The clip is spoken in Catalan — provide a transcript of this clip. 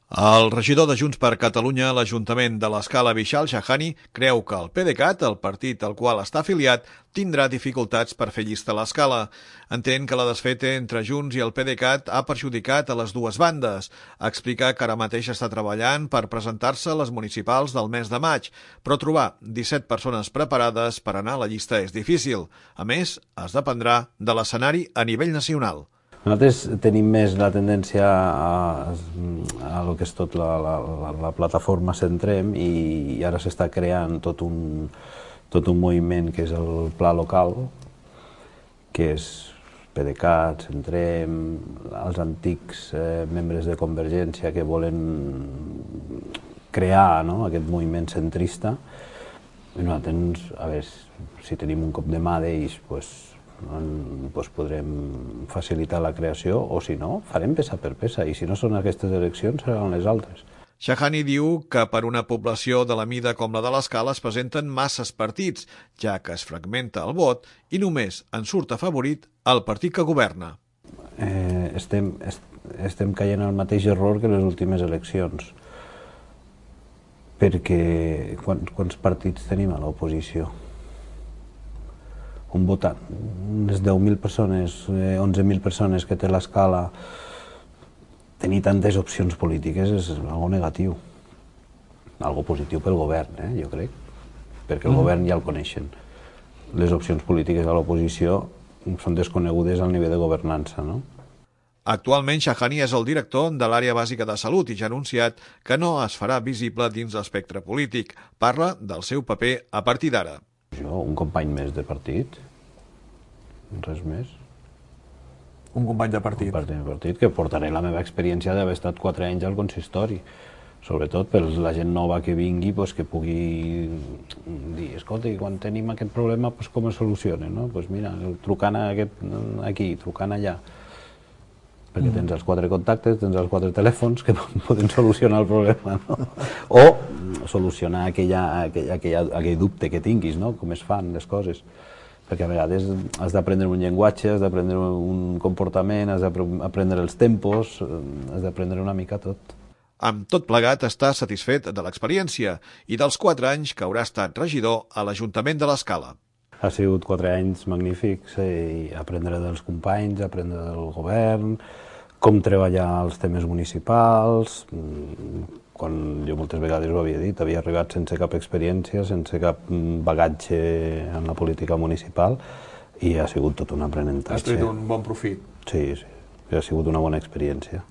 El regidor de Junts per Catalunya a l'Ajuntament de l'Escala, Vishal Shahani, creu que el PDeCAT, el partit al qual està afiliat, tindrà dificultats per fer llista a l'Escala. Entén que la desfeta entre Junts i el PDeCAT ha perjudicat a les dues bandes. Explica que ara mateix està treballant per presentar-se a les municipals del mes de maig, però trobar 17 persones preparades per anar a la llista és difícil. A més, es dependrà de l'escenari a nivell nacional. Nosaltres tenim més la tendència a lo que és tot la plataforma Centrem, i ara s'està creant tot un moviment que és el pla local, que és PDeCAT, Centrem, els antics membres de Convergència que volen crear aquest moviment centrista. I nosaltres, a veure, si tenim un cop de mà d'ells, podrem facilitar la creació, o si no, farem peça per peça, i si no són aquestes eleccions seran les altres. Shahani diu que per una població de la mida com la de l'Escala es presenten masses partits, ja que es fragmenta el vot i només en surt afavorit el partit que governa. Estem caient al mateix error que les últimes eleccions, perquè quants partits tenim a l'oposició? Un votant, unes 10.000 persones, 11.000 persones que té l'Escala, tenir tantes opcions polítiques és algo negatiu, algo positiu pel govern, jo crec, perquè el govern ja el coneixen. Les opcions polítiques a l'oposició són desconegudes al nivell de governança, no? Actualment, Shahani és el director de l'àrea bàsica de salut i ja ha anunciat que no es farà visible dins l'espectre polític. Parla del seu paper a partir d'ara. Jo, un company més de partit, res més. Un company de partit? Un company de partit, que portaré la meva experiència d'haver estat 4 anys al consistori. Sobretot per la gent nova que vingui, que pugui dir, escolta, quan tenim aquest problema, com es soluciona? Mira, trucant aquí, trucant allà. Perquè tens els 4 contactes, tens els 4 telèfons que poden solucionar el problema, o solucionar aquell dubte que tinguis, com es fan les coses. Perquè a vegades has d'aprendre un llenguatge, has d'aprendre un comportament, has d'aprendre els tempos, has d'aprendre una mica tot. Amb tot plegat està satisfet de l'experiència i dels 4 anys que haurà estat regidor a l'Ajuntament de l'Escala. Ha sigut 4 anys magnífics, aprendre dels companys, aprendre del govern, com treballar els temes municipals. Quan jo moltes vegades ho havia dit, havia arribat sense cap experiència, sense cap bagatge en la política municipal, i ha sigut tot un aprenentatge. Has tret un bon profit. Sí, ha sigut una bona experiència.